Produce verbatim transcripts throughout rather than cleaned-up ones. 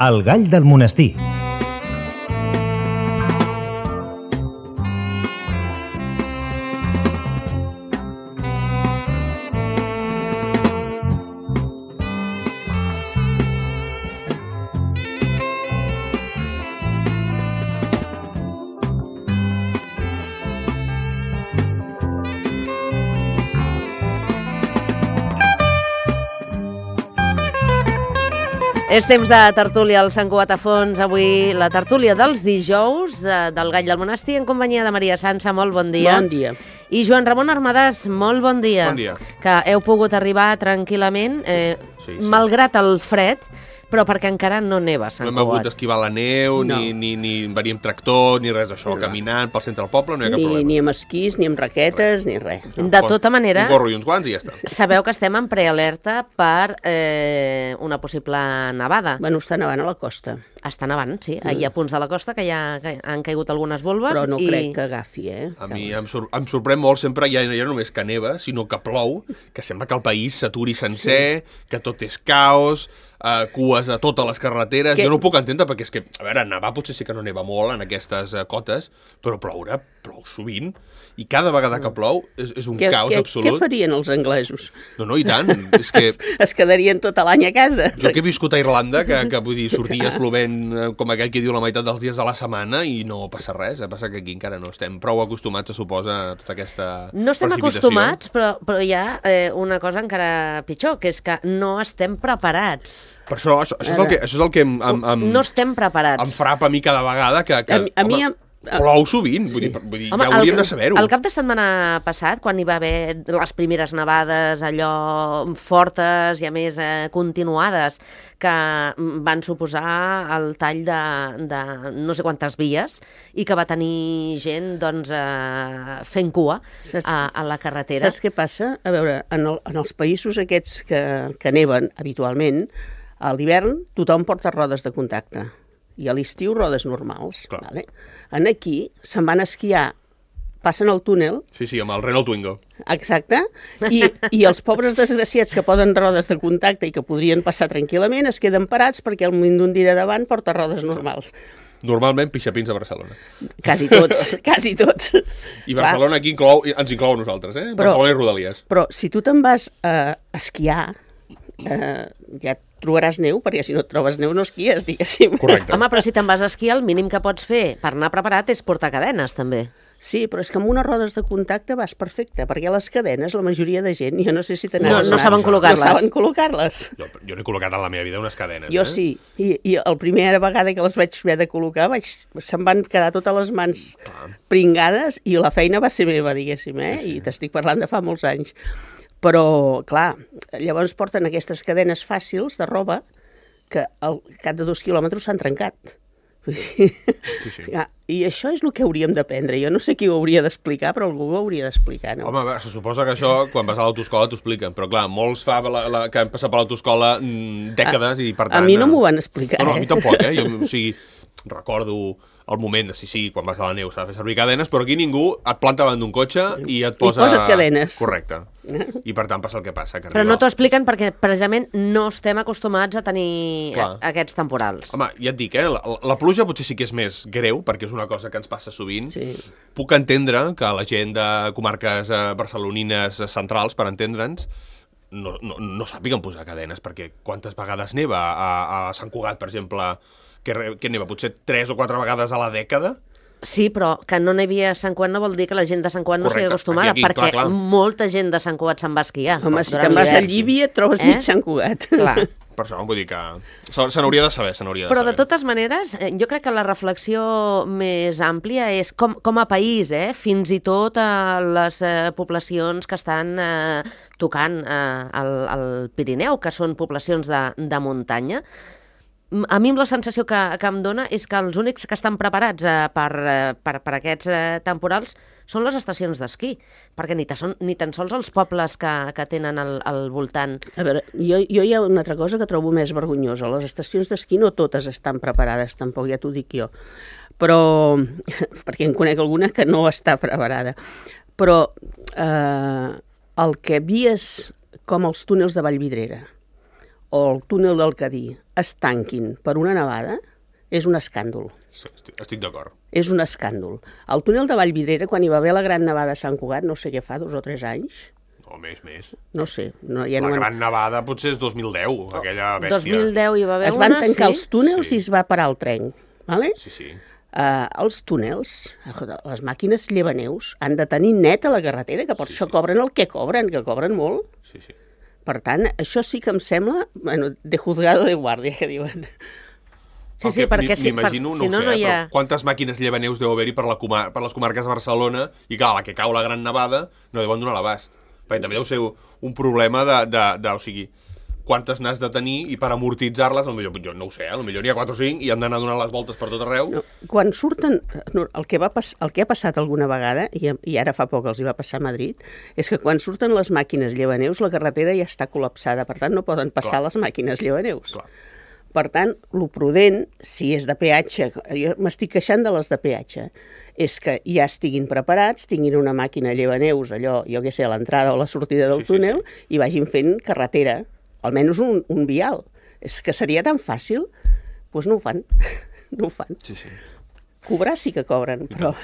El gall del monestir. És temps de tertúlia al Sant Cugat a Fons. Avui la tertúlia dels dijous eh, del Gall del Monestir en companyia de Maria Sança. Molt bon dia. Bon dia. I Joan Ramon Armadàs, molt bon dia. Bon dia. Que heu pogut arribar tranquil·lament, eh, Sí, sí. malgrat el fred, però perquè encara no neva a Sant No hem hagut Cugat. d'esquivar la neu, No. ni, ni, ni venir amb tractor, ni res d'això. No. Caminant pel centre del poble no hi ha cap Ni, problema. ni amb esquís, ni amb raquetes, ni res. De tota manera, Un gorro i uns guants i ja està. sabeu que estem en prealerta per eh, una possible nevada. Bueno, està nevant a la costa, Està nevant, sí. Hi ha punts de la costa que ja que han caigut algunes volves. però no i... crec que agafi, eh? A mi em, sor em sorprèn molt sempre, ja, ja no només que neva, sinó que plou, que sembla que el país s'aturi sencer, sí. que tot és caos, uh, cues a totes les carreteres. Que- Jo no ho puc entendre perquè és que, a veure, nevar potser sí que no neva molt en aquestes uh, cotes, però ploure, plou sovint, i cada vegada que plou és, és un Què, caos què, absolut. què farien els anglesos? No, no, i tant. És que Es quedarien tot l'any a casa. jo que he viscut a Irlanda, que, que vull dir, sorties plovent eh, com aquell que diu la meitat dels dies de la setmana i no passa res, eh? Passa que aquí encara no estem prou acostumats, se suposa, a tota aquesta No estem precipitació. acostumats, però, però hi ha eh, una cosa encara pitjor, que és que no estem preparats. Per això, això, això, és el que, això és el que em, em, em, No estem preparats. em frapa a mi cada vegada, que, que A mi- a mi home, em- plou sovint, vull dir, vull dir Home, ja hauríem el, de saber-ho. El cap de setmana passat, quan hi va haver les primeres nevades, allò fortes i a més eh, continuades, que van suposar el tall de, de no sé quantes vies i que va tenir gent doncs, eh, fent cua Saps- a, a la carretera. Saps què passa? A veure, en, el, en els països aquests que, que neven habitualment, a l'hivern tothom porta rodes de contacte i a l'estiu rodes normals. Clar. Vale? En aquí se'n van a esquiar, passen el túnel, Sí, sí, amb el Renault Twingo. exacte, i, i els pobres desgraciats que poden rodes de contacte i que podrien passar tranquil·lament es queden parats perquè el moment d'un dia davant porta rodes normals. Normalment pixapins a Barcelona. Quasi tots, quasi tots. I Barcelona aquí inclou, ens inclou a nosaltres, eh? Però- Barcelona i Rodalies. Però si tu te'n vas a esquiar, eh, ja et trobaràs neu, perquè si no et trobes neu no esquies, diguéssim. Correcte. Home, però si te'n vas a esquiar, el mínim que pots fer per anar preparat és portar cadenes, també. Sí, però és que amb unes rodes de contacte vas perfecte, perquè les cadenes, la majoria de gent, jo no sé si te No, n'has no adonat, saben col·locar-les. No saben col·locar-les. Jo, jo n'he col·locat en la meva vida unes cadenes. Jo eh? sí, i, i la primera vegada que les vaig haver de col·locar vaig, se'm van quedar totes les mans pringades i la feina va ser meva, diguéssim, eh? Sí, sí. I t'estic parlant de fa molts anys. Però, clar, llavors porten aquestes cadenes fàcils de roba que al cap de dos quilòmetres s'han trencat. Sí, sí. Ja, I això és el que hauríem d'aprendre. Jo no sé qui ho hauria d'explicar, però algú ho hauria d'explicar, no? Home, a veure, se suposa que això, quan vas a l'autoscola, t'ho expliquen. Però, clar, molts fa la, la, que han passat per l'autoscola mm, dècades i, per A tant... mi no eh, m'ho van explicar, No, no, a eh? mi tampoc, eh? Jo, o sigui, recordo el moment de, sí, sí, quan vas a la neu s'ha de fer servir cadenes, però aquí ningú et planta davant d'un cotxe i et posa... posa't cadenes. Correcte. I, per tant, passa el que passa. Que Però arriba- no t'ho expliquen perquè, precisament, no estem acostumats a tenir Clar. a- aquests temporals. Home, ja et dic, eh? La, la pluja potser sí que és més greu, perquè és una cosa que ens passa sovint. Sí. Puc entendre que la gent de comarques eh, barcelonines eh, centrals, per entendre'ns, no, no, no sàpiguen posar cadenes, perquè quantes vegades neva a, a Sant Cugat, per exemple, que, re- que neva potser tres o quatre vegades a la dècada? Sí, però que no n'hi havia a Sant Cugat no vol dir que la gent de Sant Cugat no sigui Correcte. acostumada, Aquí, aquí, perquè clar, clar. molta gent de Sant Cugat se'n va a esquiar. Home, si durant te'n vas a l'hivern. Llívia et trobes Eh? mig Sant Cugat. Clar. Per això vull dir que se se n'hauria de saber, se n'hauria de Però de saber. totes maneres, eh, jo crec que la reflexió més àmplia és com, com a país, eh, fins i tot a les eh, poblacions que estan eh, tocant eh, el, el Pirineu, que són poblacions de, de muntanya. M- A mi la sensació que, que em dona és que els únics que estan preparats eh, per, eh, per, per aquests eh, temporals són les estacions d'esquí, perquè ni, ta, son, ni tan sols els pobles que, que tenen al, al voltant. A veure, jo, jo hi ha una altra cosa que trobo més vergonyosa. Les estacions d'esquí no totes estan preparades, tampoc, ja t'ho dic jo. Però, perquè en conec alguna que no està preparada. Però eh, el que vies com els túnels de Vallvidrera, o el túnel del Cadí es tanquin per una nevada, és un escàndol. Sí, estic, estic d'acord. És un escàndol. El túnel de Vallvidrera, quan hi va haver la gran nevada a Sant Cugat, no sé què fa, dos o tres anys, No, més, més. no sé. No, ja La no gran nevada potser és dos mil deu, aquella bèstia. dos mil deu hi va haver es van una, tancar sí. els túnels Sí. i es va parar el tren. Vale? Sí, sí. Uh, els túnels, les màquines llevaneus, han de tenir neta la carretera, que per Sí, això sí. cobren el que cobren, que cobren molt. Sí, sí. Per tant, això sí que em sembla, bueno, de juzgado de guàrdia, que diuen. Sí, El sí, que perquè si, per, m'imagino, si no, ho sé, no hi eh, ha... però quantes màquines llevaneus deu haver-hi per, la comar per les comarques de Barcelona i, clar, la que cau la gran nevada no deuen donar l'abast. Perquè també deu ser un problema de, de, de o sigui, quantes n'has de tenir i per amortitzar-les, potser, jo no ho sé, eh, potser n'hi ha quatre o cinc i han d'anar donant les voltes per tot arreu. No, quan surten, no, el, que va pas, el que ha passat alguna vegada, i, i ara fa poc els hi va passar a Madrid, és que quan surten les màquines llevaneus, la carretera ja està col·lapsada, per tant no poden passar Clar. les màquines llevaneus. Clar. Per tant, lo prudent, si és de peatge, jo m'estic queixant de les de peatge, és que ja estiguin preparats, tinguin una màquina llevaneus, allò, jo què sé, a l'entrada o la sortida del Sí, sí, túnel, i vagin fent carretera, almenys un, un vial. És que seria tan fàcil, doncs no ho fan, no ho fan. Sí, sí. Cobrar sí que cobren, però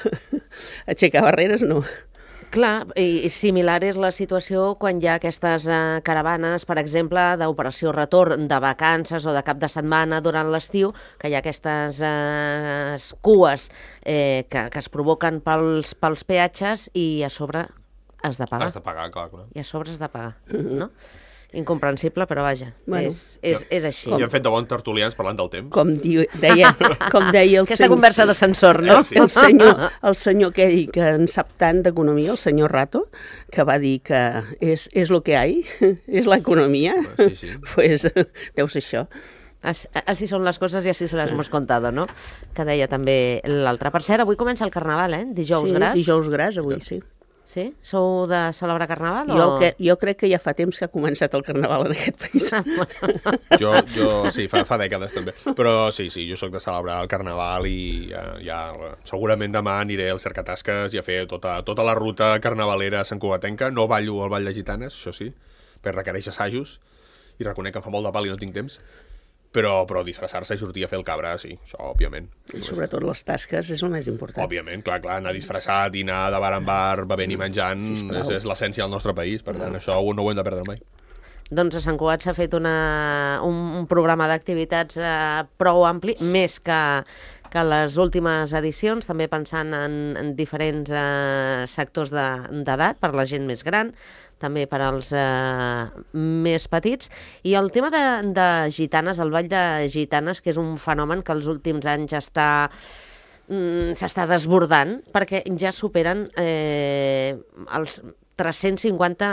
aixecar barreres no. Clar, i similar és la situació quan hi ha aquestes eh, caravanes, per exemple, d'operació retorn de vacances o de cap de setmana durant l'estiu, que hi ha aquestes eh, cues eh, que, que es provoquen pels, pels peatges i a sobre has de pagar. Has de pagar, clar, clar. I a sobre has de pagar, no? Incomprensible, però vaja, Bueno. és, és, és així. I han fet de bons tertulians parlant del temps. Com, diu, deia, com deia el Aquesta senyor... conversa d'ascensor, no? Eh, sí. El senyor, el senyor aquell que en sap tant d'economia, el senyor Rato, que va dir que és, és lo que hay, és l'economia, Sí, sí. pues deu ser això. As, así son las cosas i así se las hemos contado, no? Que deia també l'altre. Per cert, avui comença el Carnaval, eh? Dijous sí, gras. dijous gras, avui, sí. Sí? Sou de celebrar Carnaval o...? Jo, que, jo crec que ja fa temps que ha començat el Carnaval en aquest país. Jo, jo sí, fa, fa dècades també. Però sí, sí, jo sóc de celebrar el Carnaval i ja, ja segurament demà aniré al Cercatasques i a fer tota, tota la ruta carnavalera santcugatenca. No ballo al Ball de Gitanes, això sí, perquè requereix assajos i reconec que em fa molt de pal i no tinc temps. Però, però disfressar-se i sortir a fer el cabra, sí, això, òbviament. I sobretot les tasques és el més important. Òbviament, clar, clar, anar disfressat i anar de bar en bar, bevent i menjant, Sisplau. és, és l'essència del nostre país, per tant, això no ho hem de perdre mai. Doncs a Sant Cugat s'ha fet una, un, un programa d'activitats eh, prou ampli, més que, que les últimes edicions, també pensant en, en diferents eh, sectors d'edat, per la gent més gran, també per als eh, més petits. I el tema de, de gitanes, el ball de gitanes, que és un fenomen que els últims anys està mm, s'està desbordant, perquè ja superen eh, els tres-cents cinquanta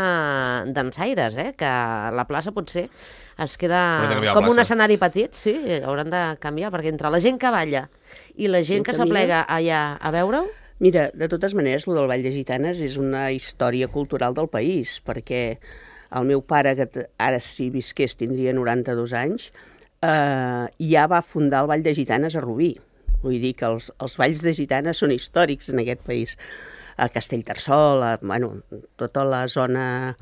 dansaires, eh? Que la plaça potser es queda Hauran de canviar la com un plaça. escenari petit, sí, hauran de canviar, perquè entre la gent que balla i la gent Gent que que s'aplega allà a veure-ho, Mira, de totes maneres, el del Ball de Gitanes és una història cultural del país, perquè el meu pare, que t- ara si visqués tindria noranta-dos anys, eh, ja va fundar el Ball de Gitanes a Rubí. Vull dir que els, els balls de gitanes són històrics en aquest país. A Castellterçol, a, bueno, tota la zona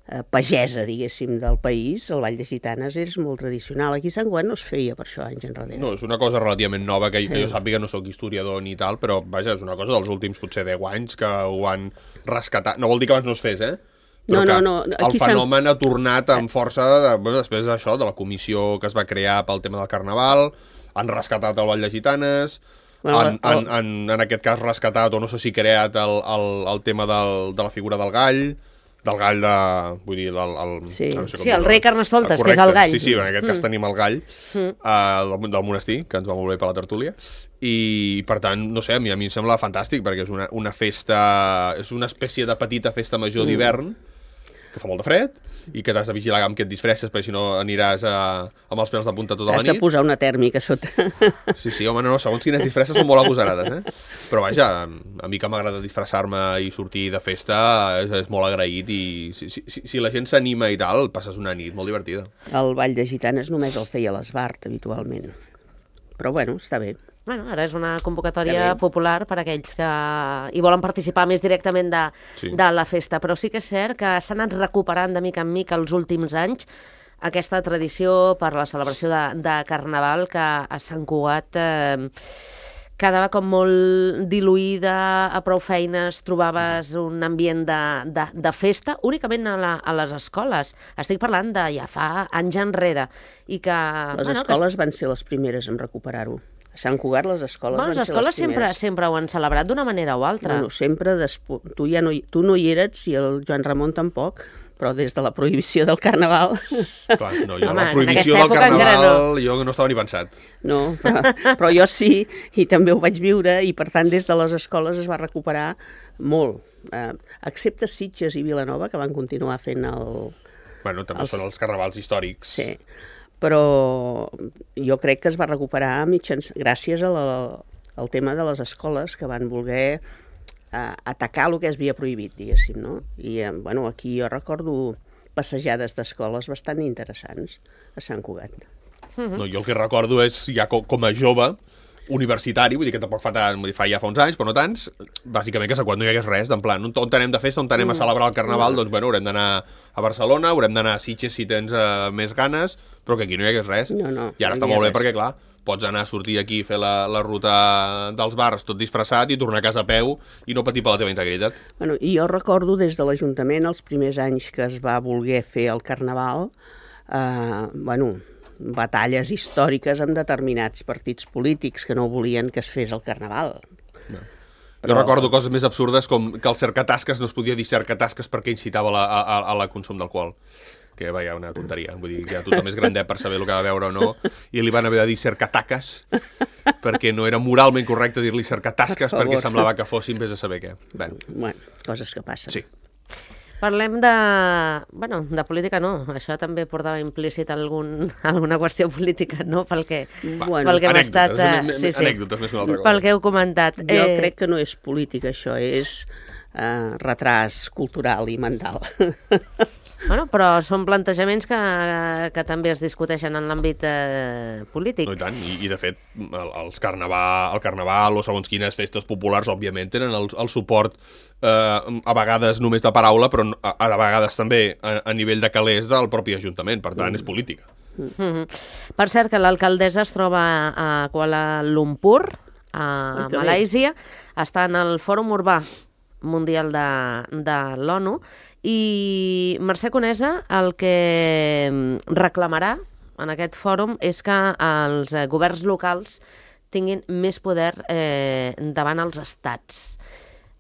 eh, pagesa, diguéssim, del país, el Ball de Gitanes és molt tradicional. Aquí a Sant Cugat no es feia per això anys enrere. No, és una cosa relativament nova, que, que jo sàpiga, no sóc historiador ni tal, però vaja, és una cosa dels últims potser deu anys que ho han rescatat. No vol dir que abans no es fes, eh? Però No, que no, no, el aquí s'han- fenomen ha tornat amb força de, bueno, després d'això, de la comissió que es va crear pel tema del Carnaval, han rescatat el Ball de Gitanes, Bueno, han, el- han, han, en aquest cas rescatat, o no sé si creat el, el, el tema del, de la figura del gall, del gall de... vull dir, el... el Sí. no sé com Sí, el dir-ho. rei Carnestoltes, que és Correcte. el gall. Sí, sí, en aquest cas Mm. tenim el gall Mm. uh, del, del monestir, que ens va molt bé per la tertúlia, i per tant, no sé, a mi, a mi em sembla fantàstic, perquè és una, una festa, és una espècie de petita festa major Mm. d'hivern, que fa molt de fred, i que t'has de vigilar amb què et disfresses, perquè si no aniràs a, amb els pèls de punta tota la Has de nit. posar una tèrmica sota. Sí, sí, home, no, no, segons quines disfresses són molt agosarades, eh? Però vaja, a mi que m'agrada disfressar-me i sortir de festa és, és molt agraït i si, si, si la gent s'anima i tal, passes una nit molt divertida. El Ball de Gitanes només el feia l'Esbart, habitualment. Però bueno, està bé. Bueno, ara és una convocatòria Ja ve. popular per a aquells que hi volen participar més directament de, Sí. de la festa, però sí que és cert que s'ha anat recuperant de mica en mica els últims anys aquesta tradició per la celebració de, de Carnaval que a Sant Cugat eh, quedava com molt diluïda, a prou feines trobaves un ambient de, de, de festa, únicament a, la, a les escoles. Estic parlant de ja fa anys enrere. I que, les bueno, escoles que... van ser les primeres en recuperar-ho. A Sant Cugat les escoles bueno, van les ser escoles les primeres. sempre, sempre ho han celebrat d'una manera o altra. Bueno, sempre despo... tu, ja no hi... tu no hi eres i el Joan Ramon tampoc, però des de la prohibició del Carnaval... Clar, no, jo Home, la prohibició del Carnaval no. Jo no estava ni pensat. No, però, però jo sí, i també ho vaig viure, i per tant des de les escoles es va recuperar molt. Eh, excepte Sitges i Vilanova, que van continuar fent el... Bueno, també els... són els carnavals històrics. Sí, però jo crec que es va recuperar mitjans... gràcies a la, al tema de les escoles que van voler a atacar el que es havia prohibit, diguéssim, no? I, eh, bueno, aquí jo recordo passejades d'escoles bastant interessants a Sant Cugat. Mm-hmm. No, jo el que recordo és, ja com, com a jove, universitari, vull dir que tampoc fa tant, vull dir, fa ja fa uns anys, però no tants, bàsicament que quan no hi hagués res, en plan, on anem de festa, on anem a celebrar el Carnaval, doncs, bueno, haurem d'anar a Barcelona, haurem d'anar a Sitges si tens uh, més ganes, però que aquí no hi hagués res. No, no, I ara no està molt bé res. perquè, clar, pots anar a sortir aquí, fer la, la ruta dels bars tot disfressat i tornar a casa a peu i no patir per la teva integritat. Bueno, i jo recordo des de l'Ajuntament, els primers anys que es va voler fer el Carnaval, eh, bueno, batalles històriques amb determinats partits polítics que no volien que es fes el Carnaval. No. Però... Jo recordo coses més absurdes com que el cercatasques no es podia dir cercatasques perquè incitava la, a, a, a la consum d'alcohol. Que vaja, una tonteria, vull dir que tothom és grandet per saber el que va veure o no, i li van haver de dir cercataques, perquè no era moralment correcte dir-li cercatasques, perquè semblava que fossin vés a saber què. Bueno, bueno coses que passen. Sí. Parlem de... Bueno, de política no, això també portava implícit algun, alguna qüestió política, no? Pel que, bueno, pel que hem estat... Uh, sí, sí, anècdotes, més que una altra cosa. Pel que heu comentat. Jo eh... crec que no és política, això és uh, retras cultural i mental. Bueno, però són plantejaments que, que també es discuteixen en l'àmbit eh, polític. No, i tant, i, i de fet, el, els carnaval, el carnaval o segons quines festes populars, òbviament, tenen el, el suport eh, a vegades només de paraula, però a, a vegades també a, a nivell de calés del propi Ajuntament, per tant, mm. és política. Mm-hmm. Per cert, que l'alcaldessa es troba a Kuala Lumpur, a Malàisia, està en el Fòrum Urbà Mundial de, de l'ONU, i Mercè Conesa el que reclamarà en aquest fòrum és que els governs locals tinguin més poder eh, davant els estats.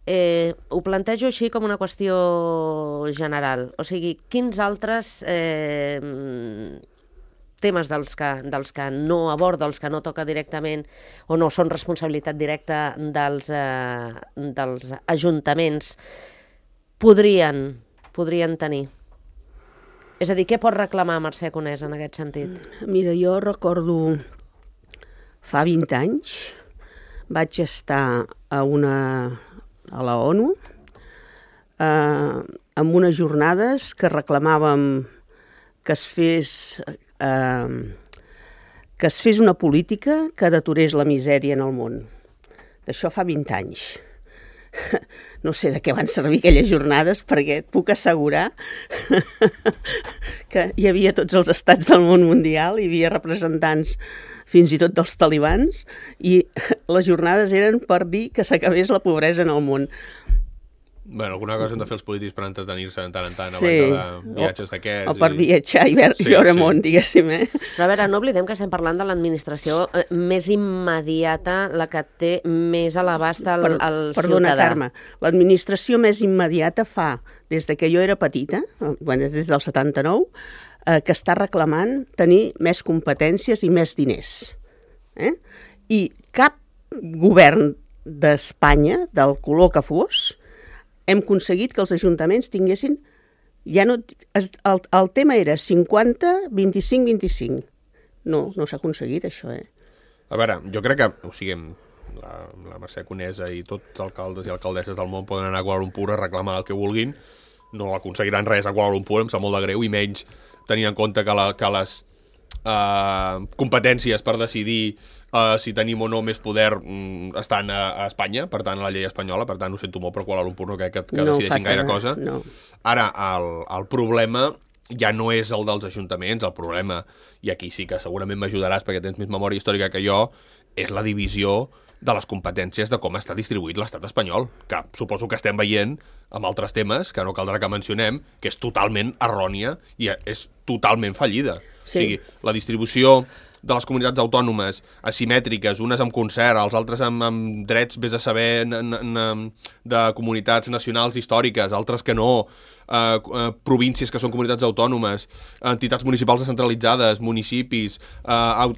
Eh, ho plantejo així com una qüestió general. O sigui, quins altres eh, temes dels que, dels que no aborda, dels que no toca directament o no són responsabilitat directa dels, eh, dels ajuntaments podrien podrien tenir? És a dir, què pot reclamar Mercè Conesa en aquest sentit? Mira, jo recordo fa vint anys vaig estar a una a la ONU eh, amb unes jornades que reclamàvem que es fes eh, que es fes una política que deturés la misèria en el món. D'això fa vint anys. No sé de què van servir aquelles jornades, perquè et puc assegurar que hi havia tots els estats del món mundial, hi havia representants fins i tot dels talibans, i les jornades eren per dir que s'acabés la pobresa en el món. Bueno, alguna cosa hem de fer els polítics per entretenir-se de tant en tant, sí, abans de viatges d'aquests. O per i... viatjar i veure, sí, veure sí. món, diguéssim. Eh? Però a veure, no oblidem que estem parlant de l'administració eh, més immediata, la que té més a l'abast al, per, al perdona, ciutadà. Carme, l'administració més immediata fa, des de que jo era petita, bueno, des del setanta-nou, eh, que està reclamant tenir més competències i més diners. Eh? I cap govern d'Espanya, del color que fos, hem aconseguit que els ajuntaments tinguessin... Ja no, el, el tema era cinquanta, vint-i-cinc, vint-i-cinc. No, no s'ha aconseguit això, eh? A veure, jo crec que, o sigui, la, la Mercè Conesa i tots els alcaldes i alcaldesses del món poden anar a Kuala Lumpur a reclamar el que vulguin, no aconseguiran res a Kuala Lumpur, em sap molt de greu, i menys tenint en compte que, la, que les uh, competències per decidir Uh, si tenim o no més poder um, estan a, a Espanya, per tant a la llei espanyola, per tant ho sento molt, però Kuala Lumpur no crec que, que no decideixin gaire res, cosa. No. Ara, el, el problema ja no és el dels ajuntaments el problema, i aquí sí que segurament m'ajudaràs perquè tens més memòria històrica que jo, és la divisió de les competències de com està distribuït l'estat espanyol, que suposo que estem veient amb altres temes, que no caldrà que mencionem, que és totalment errònia i és totalment fallida. Sí. O sigui, la distribució de les comunitats autònomes asimètriques, unes amb concert, els altres amb, amb drets, vés a saber, n, n, n, de comunitats nacionals històriques, altres que no, eh, eh, províncies que són comunitats autònomes, entitats municipals descentralitzades, municipis, eh, eh,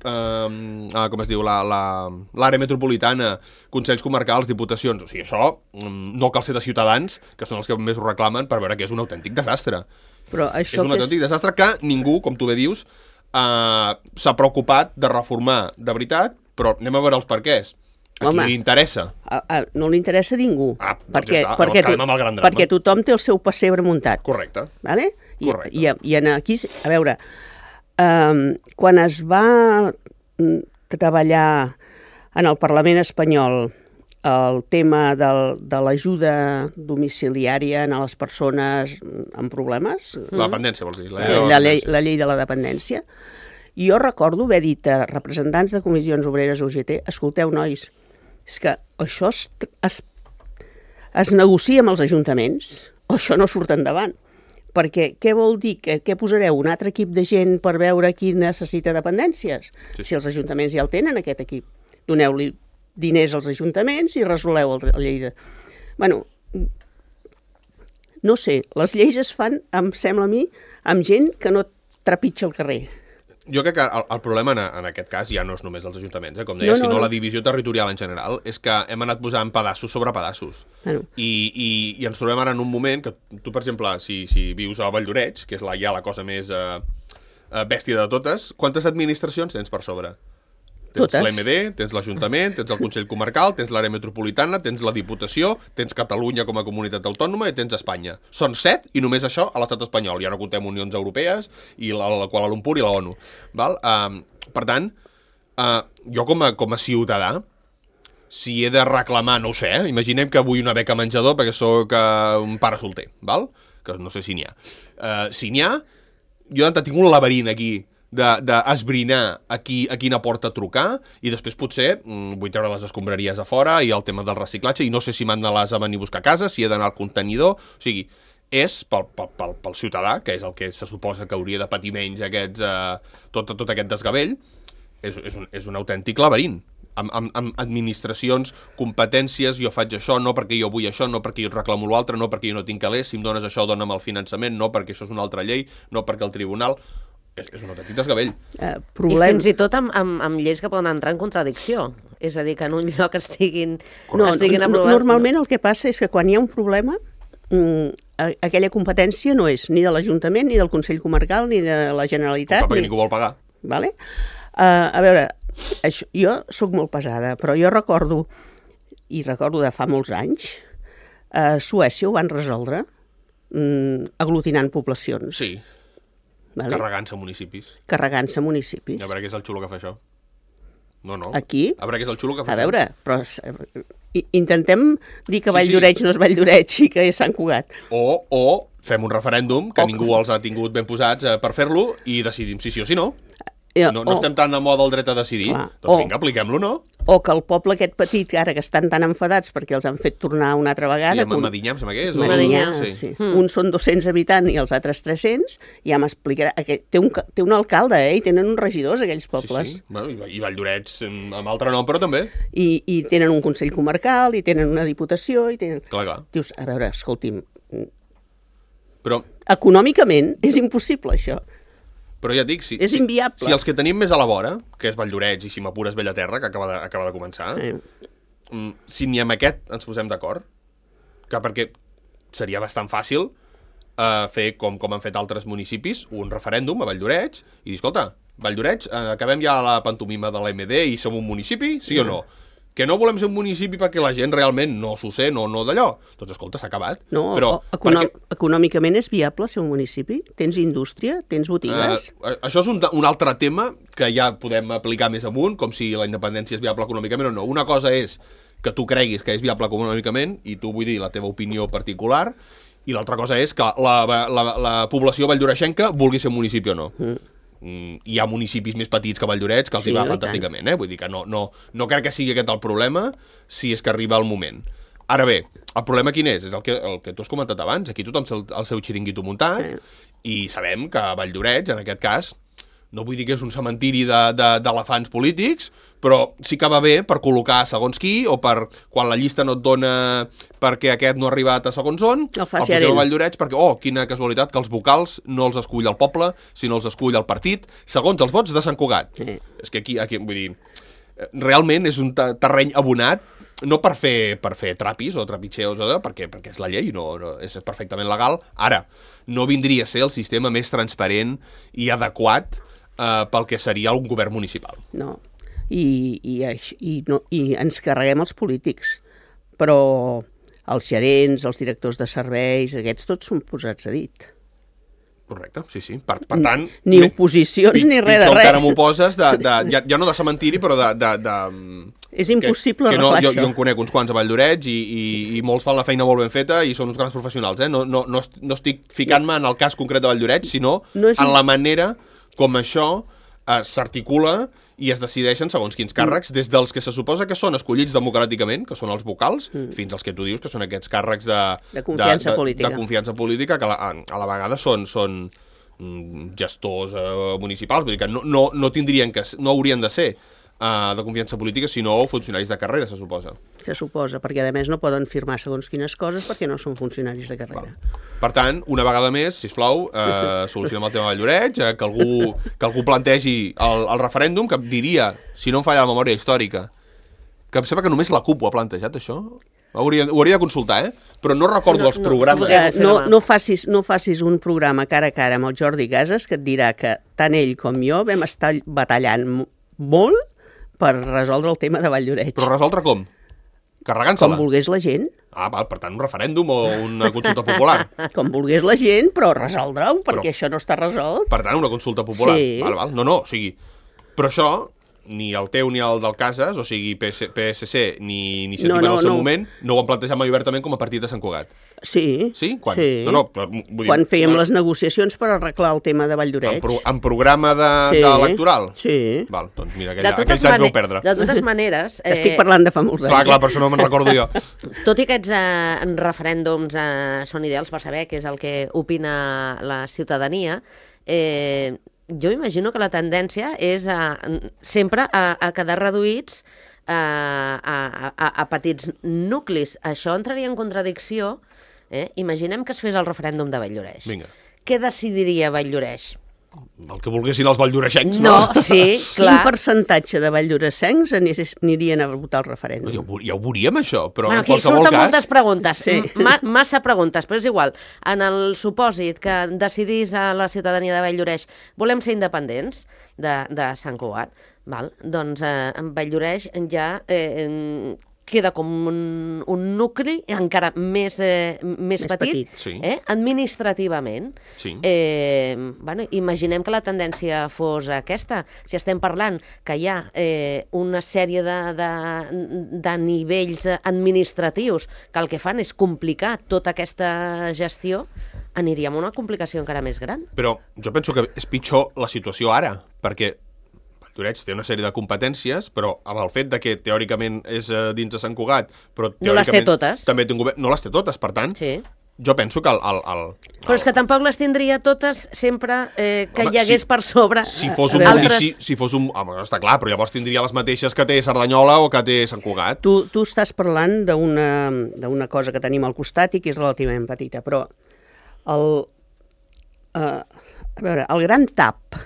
eh, com es diu, l'àrea la, la, metropolitana, consells comarcals, diputacions. O sigui, això no cal ser de Ciutadans, que són els que més ho reclamen, per veure que és un autèntic desastre. Però això és un autèntic és... desastre que ningú, com tu bé dius, Uh, s'ha preocupat de reformar de veritat, però anem a veure els perquès. A qui li interessa? A, a, no li interessa a ningú. Ah, doncs perquè, ja està, perquè, quedem amb el gran drama. perquè tothom té el seu pessebre muntat. Correcte. Vale? I, Correcte. I, i en aquí, a veure, um, quan es va treballar en el Parlament espanyol el tema del, de l'ajuda domiciliària a les persones amb problemes. La dependència, vols dir? La llei, la, llei, la llei de la dependència. I jo recordo haver dit a representants de comissions obreres U G T, escolteu, nois, és que això es, es, es negocia amb els ajuntaments o això no surt endavant. Perquè què vol dir? Que, què posareu? Un altre equip de gent per veure qui necessita dependències? Sí. Si els ajuntaments ja el tenen, aquest equip. Doneu-li diners als ajuntaments i resoleu el, el llei de... Bueno, no sé, les lleis es fan, em sembla a mi, amb gent que no trepitja el carrer. Jo crec que el, el problema en, en aquest cas ja no és només els ajuntaments, eh? Com deia, no, no, sinó no. La divisió territorial en general, és que hem anat posant pedaços sobre pedaços. Bueno. I, i, I ens trobem ara en un moment que tu, per exemple, si, si vius a Valldoreix, que és la, ja la cosa més eh, bèstia de totes, quantes administracions tens per sobre? Tens l'E M D, tens l'Ajuntament, tens el Consell Comarcal, tens l'àrea metropolitana, tens la Diputació, tens Catalunya com a comunitat autònoma i tens Espanya. Són set i només això a l'estat espanyol. Ja no comptem Unions Europees i la, la Kuala Lumpur i la ONU. Val? Uh, per tant, uh, jo com a, com a ciutadà, si he de reclamar, no ho sé, eh? Imaginem que vull una beca menjador perquè sóc uh, un pare solter, val? Que no sé si n'hi ha. Uh, si n'hi ha, jo tinc un laberint aquí d'esbrinar a, qui, a quina porta trucar i després potser mm, vull treure les escombraries a fora i el tema del reciclatge i no sé si m'han de les a venir a buscar a casa, si he d'anar al contenidor, o sigui, és pel, pel, pel, pel ciutadà, que és el que se suposa que hauria de patir menys aquests, eh, tot, tot aquest desgavell, és, és, un, és un autèntic laberint. Amb, amb, amb administracions, competències, jo faig això, no perquè jo vull això, no perquè jo reclamo l'altre, no perquè jo no tinc calés, si em dones això, dona'm el finançament, no perquè això és una altra llei, no perquè el tribunal... És, és un autèntic desgavell. Uh, problem... I fins i tot amb, amb, amb lleis que poden entrar en contradicció. És a dir, que en un lloc estiguin, no, estiguin no, aprovats... Normalment el que passa és que quan hi ha un problema, mmm, aquella competència no és ni de l'Ajuntament, ni del Consell Comarcal, ni de la Generalitat... Però perquè ni... ningú vol pagar. Vale? Uh, a veure, això, jo sóc molt pesada, però jo recordo, i recordo de fa molts anys, a Suècia ho van resoldre mmm, aglutinant poblacions. Sí. Vale? Carregant-se municipis. Carregant-se municipis. A veure què és el xulo que fa això. No, no. Aquí? A veure què és el xulo que fa això. A veure, això. però intentem dir que sí, Valldoreix sí. no és Valldoreix i que és Sant Cugat. O, o fem un referèndum, que o... ningú els ha tingut ben posats eh, per fer-lo, i decidim si sí o si no. No, no o... estem tan de moda el dret a decidir. Clar. Doncs o... vinga, apliquem-lo, no? O que el poble aquest petit, ara que estan tan enfadats perquè els han fet tornar una altra vegada... Sí, a Medinyà, em sembla que és? Medinyà, o... sí. sí. Mm. Uns són dos-cents habitants i els altres tres-cents, i ja m'explicarà... Té un, té un alcalde, eh? I tenen uns regidors, aquells pobles. Sí, sí. Bueno, i Valldoreix amb altre nom, però també. I, I tenen un consell comarcal, i tenen una diputació, i tenen... Clar, clar. Dius, a veure, escolti'm... Però... Econòmicament és impossible, això. Però ja et dic, si, és si, inviable. Si els que tenim més a la vora, que és Valldoreix i si m'apures Bellaterra, que acaba de, acaba de començar, sí. Si ni amb aquest ens posem d'acord, que perquè seria bastant fàcil uh, fer com, com han fet altres municipis, un referèndum a Valldoreix, i dir, escolta, Valldoreix, uh, acabem ja la pantomima de l'E M D i som un municipi, sí o no? Que no volem ser un municipi perquè la gent realment no s'ho sé, no, no d'allò. Doncs escolta, s'ha acabat. No, però, econò perquè... econòmicament és viable ser un municipi? Tens indústria? Tens botigues? Uh, això és un, un altre tema que ja podem aplicar més amunt, com si la independència és viable econòmicament o no. Una cosa és que tu creguis que és viable econòmicament i tu vull dir la teva opinió particular, i l'altra cosa és que la, la, la població valldoreixenca vulgui ser un municipi o no. Mm. Mm, hi ha municipis més petits que Valldoreix que els sí, hi va fantàsticament, eh? Vull dir que no, no, no crec que sigui aquest el problema si és que arriba el moment. Ara bé, el problema quin és? És el que, el que tu has comentat abans, aquí tothom té el, el seu xiringuito muntat mm. i sabem que Valldoreix, en aquest cas, no vull dir que és un cementiri d'elefants polítics, però sí que va bé per col·locar segons qui, o per quan la llista no et dona perquè aquest no ha arribat a segons on, el poseu a Valldoreix perquè, oh, quina casualitat, que els vocals no els escull el poble, sinó els escull el partit, segons els vots de Sant Cugat. Sí. És que aquí, aquí, vull dir, realment és un terreny abonat, no per fer, per fer trapis o trapitxeos, o perquè, perquè és la llei, no, no, és perfectament legal. Ara, no vindria a ser el sistema més transparent i adequat Uh, pel que seria un govern municipal. No, i, i, i, no, i ens carreguem els polítics, però els gerents, els directors de serveis, aquests tots són posats a dit. Correcte, sí, sí. Per, per tant... Ni oposicions ni res de res. Pitjor encara m'ho poses, de, de, ja, ja no de cementiri, però de... de, de és impossible que, que no, arreglar jo, això. Jo en conec uns quants a Valldoreix i, i, i molts fan la feina molt ben feta i són uns grans professionals, eh? No, no, no, no estic ficant-me en el cas concret de Valldoreix, sinó no en la manera com això eh, s'articula i es decideixen segons quins càrrecs, mm. des dels que se suposa que són escollits democràticament, que són els vocals, mm. fins als que tu dius que són aquests càrrecs de, de, confiança, de, de, política. de confiança política, que a la, a la vegada són, són gestors eh, municipals, vull dir que no, no, no tindrien que, no haurien de ser uh, de confiança política, sinó funcionaris de carrera, se suposa. Se suposa, perquè a més no poden firmar segons quines coses perquè no són funcionaris de carrera. Val. Per tant, una vegada més, sisplau, eh, solucionem el tema de Valldoreix, eh, que, algú, que algú plantegi el, el referèndum, que diria, si no em falla la memòria històrica, que em sembla que només la CUP ho ha plantejat, això. Ho hauria, ho hauria de consultar, eh? Però no recordo no, els programes. No, no, no, facis, no facis un programa cara a cara amb el Jordi Casas que et dirà que tant ell com jo vam estar batallant molt per resoldre el tema de Valldoreix. Però resoldre com? Carregant-se-la? Com volgués la gent. Ah, val, per tant, un referèndum o una consulta popular. Com volgués la gent, però resoldre-ho, perquè però, això no està resolt. Per tant, una consulta popular. Sí. Val, val. No, no, o sigui... Però això, ni el teu ni el del Casas, o sigui, P S C ni Iniciativa no, no, en el seu no. moment, no ho han plantejat mai obertament com a partit de Sant Cugat. Sí. Sí? Quan? Sí. No, no, vull dir, quan fèiem no. les negociacions per arreglar el tema de Valldoreix. En, pro, en programa de, sí. de electoral? Sí. Val, doncs mira, aquell, aquells anys vau perdre. De totes maneres... Eh... Estic parlant de fa molts anys. Clar, clar, per això no me'n recordo jo. Tot i que aquests eh, referèndums eh, són ideals per saber què és el que opina la ciutadania, eh, jo imagino que la tendència és a, sempre a, a quedar reduïts a, a, a, a petits nuclis. Això entraria en contradicció. Eh? Imaginem que es fes el referèndum de Valldoreix. Vinga. Què decidiria Valldoreix? El que volguessin els valldoreixencs, no? No, sí, clar. Quin percentatge de valldoreixencs anirien a votar el referèndum? Ja ho, ja ho veuríem, això, però bueno, en qualsevol cas... Aquí surten cas... moltes preguntes, sí. Ma massa preguntes, però és igual. En el supòsit que decidís a la ciutadania de Valldoreix volem ser independents de, de Sant Cugat, val? Doncs eh, en Valldoreix ja... Eh, queda com un, un nucli encara més, eh, més, més petit, petit. Sí. Eh, administrativament. Sí. Eh, bueno, imaginem que la tendència fos aquesta. Si estem parlant que hi ha eh, una sèrie de, de, de nivells administratius que el que fan és complicar tota aquesta gestió, aniríem a una complicació encara més gran. Però jo penso que és pitjor la situació ara, perquè Valldoreix té una sèrie de competències, però amb el fet de que teòricament és uh, dins de Sant Cugat, però no les té totes. També té un govern, no les té totes, per tant, sí. Jo penso que el, el, el... Però és que tampoc les tindria totes sempre eh, que home, hi hagués si, per sobre si fos un altres... Si, si fos un... Home, està clar, però llavors tindria les mateixes que té Cerdanyola o que té Sant Cugat. Tu, tu estàs parlant d'una cosa que tenim al costat i que és relativament petita, però el, uh, a veure, el gran tap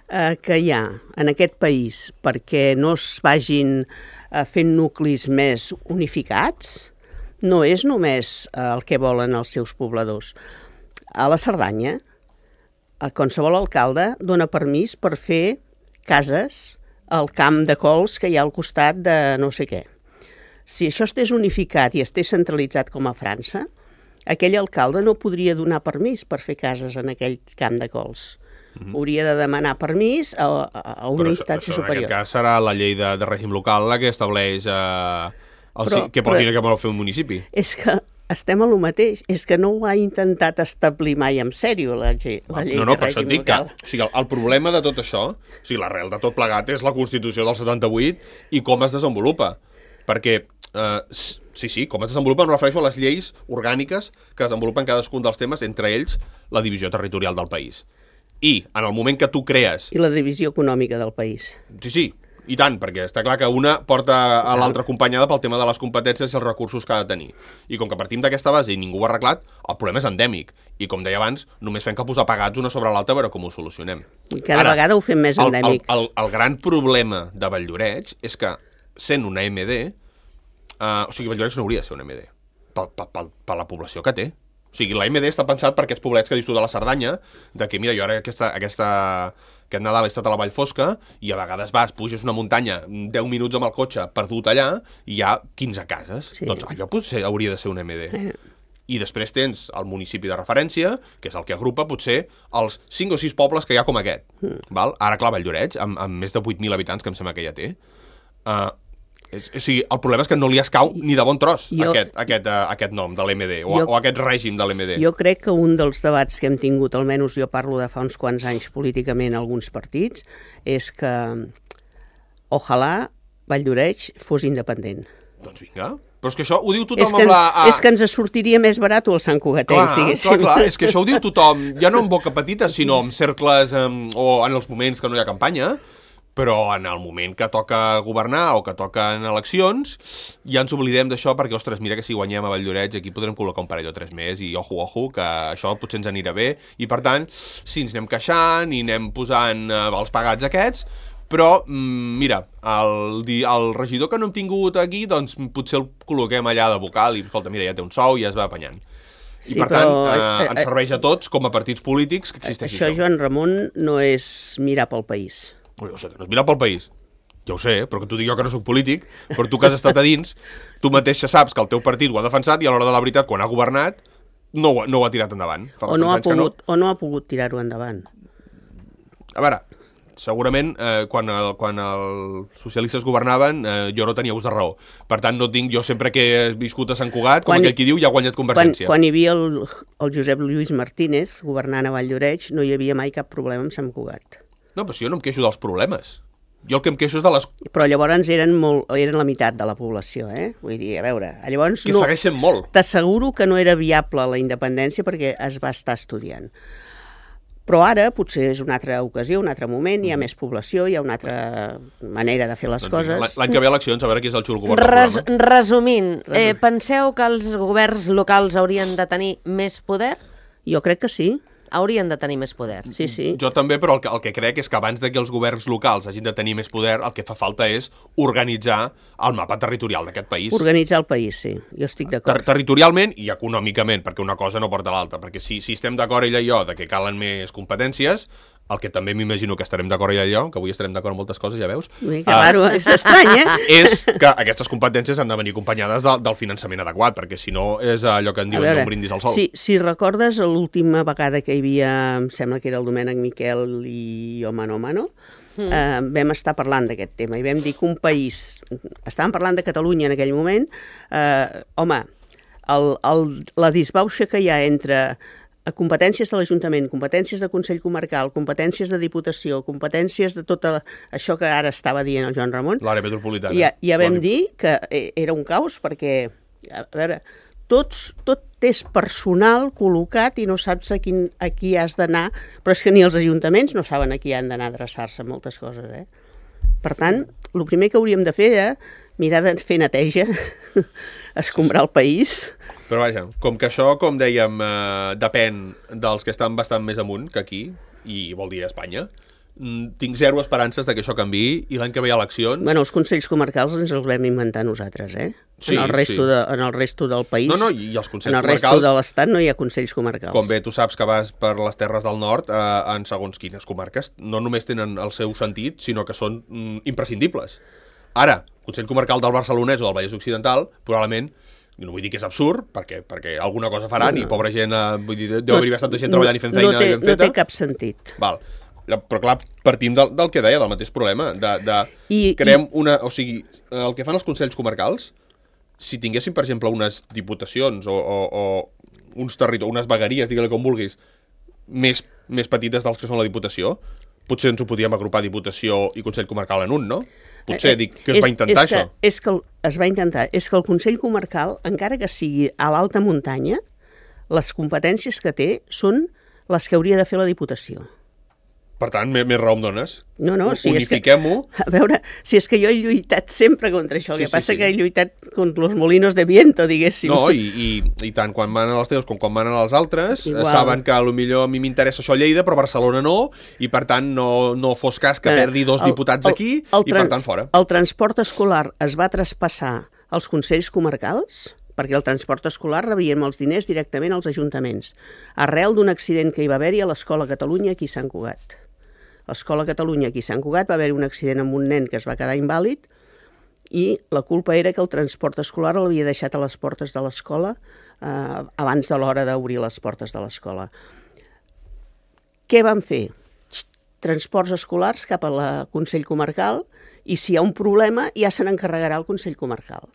eh, que hi ha en aquest país perquè no es vagin eh, fent nuclis més unificats no és només eh, el que volen els seus pobladors. A la Cerdanya, a qualsevol alcalde dona permís per fer cases al camp de cols que hi ha al costat de no sé què. Si això estés unificat i estés centralitzat com a França, aquell alcalde no podria donar permís per fer cases en aquell camp de cols. Mm-hmm. Hauria de demanar permís a, a, a una però instància això, superior. En aquest cas serà la llei de, de règim local la que estableix eh, el, però, que pot, però, que pot fer un municipi. És que estem a lo mateix. És que no ho ha intentat establir mai en sèrio la, llei, la llei no, no, de per això et règim dic que local. o sigui, el, el problema de tot això, o sigui, l'arrel de tot plegat és la Constitució del setanta-vuit i com es desenvolupa. Perquè, eh, sí, sí, com es desenvolupa em refereixo a les lleis orgàniques que desenvolupen cadascun dels temes, entre ells la divisió territorial del país. I en el moment que tu crees... I la divisió econòmica del país. Sí, sí, i tant, perquè està clar que una porta a l'altra acompanyada pel tema de les competències i els recursos que ha de tenir. I com que partim d'aquesta base i ningú ho ha arreglat, el problema és endèmic. I com deia abans, només fem que posar pegats una sobre l'altra a veure com ho solucionem. I cada Ara, vegada ho fem més endèmic. El, el, el, el gran problema de Valldoreix és que, sent una M D, uh, o sigui, Valldoreix no hauria de ser una M D, per, per, per, per la població que té. O sigui, la M D està pensat per aquests poblets que dius tu de la Cerdanya, de que, mira, jo ara aquesta... aquesta aquest Nadal he estat a la Vall Fosca i a vegades vas, puges una muntanya deu minuts amb el cotxe perdut allà i hi ha quinze cases. Sí. Doncs allò potser hauria de ser un M D. Eh. I després tens el municipi de referència, que és el que agrupa potser els cinc o sis pobles que hi ha com aquest. Mm. Val? Ara, clar, Valldoreix, amb, amb més de vuit mil habitants, que em sembla que ja té, uh, és, o sigui, el problema és que no li escau ni de bon tros jo, aquest, aquest, uh, aquest nom de l'M D o, jo, o aquest règim de l'M D. Jo crec que un dels debats que hem tingut, almenys jo parlo de fa uns quants anys políticament a alguns partits, és que ojalà Valldoreix fos independent. Doncs vinga. Però és que això ho diu tothom és que, amb la... A... És que ens sortiria més barat el Sant Cugatenc, diguéssim. Clar, clar, és que això ho diu tothom, ja no en boca petita, sinó en cercles um, o en els moments que no hi ha campanya, però en el moment que toca governar o que toquen eleccions ja ens oblidem d'això perquè, ostres, mira que si guanyem a Valldoreix aquí podrem col·locar un parell o tres més i ojo, ojo, que això potser ens anirà bé i per tant, sí, ens anem queixant i anem posant eh, els pagats aquests, però, mm, mira, el, el regidor que no hem tingut aquí, doncs potser el col·loquem allà de vocal i, escolta, mira, ja té un sou i ja es va apanyant. I sí, per tant, però, eh, ens serveix a tots com a partits polítics que existeixi això. Això, Joan Ramon, no és mirar pel país. Jo sé que no és mirar pel país, ja ho sé, però que t'ho dic jo que no soc polític, però tu que has estat a dins, tu mateix saps que el teu partit ho ha defensat i a l'hora de la veritat, quan ha governat, no ho, no ho ha tirat endavant. Fa o, no ha pogut, no... o no ha pogut tirar-ho endavant. A veure, segurament eh, quan, el, quan els socialistes governaven eh, jo no tenia ús de raó. Per tant, no tinc, jo sempre que he viscut a Sant Cugat, com quan, aquell qui diu, ja ha guanyat Convergència. Quan, quan hi havia el, el Josep Lluís Martínez governant a Valldoreix, no hi havia mai cap problema amb Sant Cugat. No, però si jo no em queixo dels problemes. Jo el que em queixo és de les... Però llavors eren, molt, eren la meitat de la població, eh? Vull dir, a veure, llavors... Que no, segueixen molt. T'asseguro que no era viable la independència perquè es va estar estudiant. Però ara potser és una altra ocasió, un altre moment, hi ha més població, hi ha una altra manera de fer les doncs, coses. L'any que ve eleccions, a veure qui és el xul govern del Res, programa. Resumint, eh, penseu que els governs locals haurien de tenir més poder? Jo crec que sí. Haurien de tenir més poder. Sí, sí. Jo també, però el que, el que crec és que abans de que els governs locals hagin de tenir més poder, el que fa falta és organitzar el mapa territorial d'aquest país. Organitzar el país, sí. Jo estic d'acord. Ter territorialment i econòmicament, perquè una cosa no porta l'altra. Perquè si, si estem d'acord ella i jo de que calen més competències, el que també m'imagino que estarem d'acord ella i jo, que avui estarem d'acord en moltes coses, ja veus. Ui, que raro, uh, és estrany, eh? És que aquestes competències han de venir acompanyades de, del finançament adequat, perquè si no és allò que en diuen veure, un brindis al sol. Si, si recordes l'última vegada que hi havia, em sembla que era el Domènec Miquel i jo mano a mano, mm. eh, vam estar parlant d'aquest tema i vam dir que un país, estàvem parlant de Catalunya en aquell moment, eh, home, el, el, la disbauxa que hi ha entre a competències de l'Ajuntament, competències de Consell Comarcal, competències de Diputació, competències de tot això que ara estava dient el Joan Ramon. L'àrea metropolitana. Ja, ja vam dir que era un caos perquè, a veure, tots, tot és personal col·locat i no saps a, quin, a qui has d'anar, però és que ni els ajuntaments no saben a qui han d'anar a adreçar-se moltes coses, eh? Per tant, el primer que hauríem de fer era mirar de fer neteja, escombrar el país. Però vaja, com que això, com dèiem, eh, depèn dels que estan bastant més amunt que aquí, i vol dir a Espanya, tinc zero esperances de que això canviï i l'any que ve hi ha eleccions... Bueno, els consells comarcals ens els vam inventar nosaltres, eh? Sí, en el resto sí. de, en el resto del país... No, no, i els consells comarcals... En el comarcals, resto de l'Estat no hi ha consells comarcals. Com bé tu saps que vas per les Terres del Nord, eh, en segons quines comarques, no només tenen el seu sentit, sinó que són mm, imprescindibles. Ara, Consell Comarcal del Barcelonès o del Vallès Occidental, probablement... No vull dir que és absurd, perquè, perquè alguna cosa faran no, no. i pobra gent, eh, vull dir, deu haver-hi bastanta gent treballant i fent feina no té, ben feta. No té cap sentit. Val. Però clar, partim del, del que deia, del mateix problema, de, de I, creem i... una... O sigui, el que fan els consells comarcals si tinguéssim, per exemple, unes diputacions o, o, o uns territoris, unes vegueries, digue-li com vulguis, més, més petites dels que són la Diputació, potser ens ho podíem agrupar Diputació i Consell Comarcal en un, no? Potser, dic, que es va intentar és que, això. És que el, es va intentar. És que el Consell Comarcal, encara que sigui a l'alta muntanya, les competències que té són les que hauria de fer la Diputació. Per tant, més, més raó em dones. No, no, si unifiquem-ho. A veure, si és que jo he lluitat sempre contra això, el Sí, que sí, passa sí. que he lluitat contra los molinos de viento, diguéssim. No, i, i, i tant quan manen els teus com quan manen els altres, Igual. saben que potser a mi m'interessa això a Lleida, però a Barcelona no, i per tant no, no fos cas que perdi dos El- diputats el- aquí, el i per trans- tant fora. El transport escolar es va traspassar als consells comarcals, perquè el transport escolar rebíem els diners directament als ajuntaments, arrel d'un accident que hi va haver-hi a l'Escola Catalunya aquí a Sant Cugat. A l'Escola Catalunya aquí a Sant Cugat va haver-hi un accident amb un nen que es va quedar invàlid i la culpa era que el transport escolar l'havia deixat a les portes de l'escola eh, abans de l'hora d'obrir les portes de l'escola. Què van fer? Transports escolars cap al Consell Comarcal i si hi ha un problema ja se n'encarregarà el Consell Comarcal.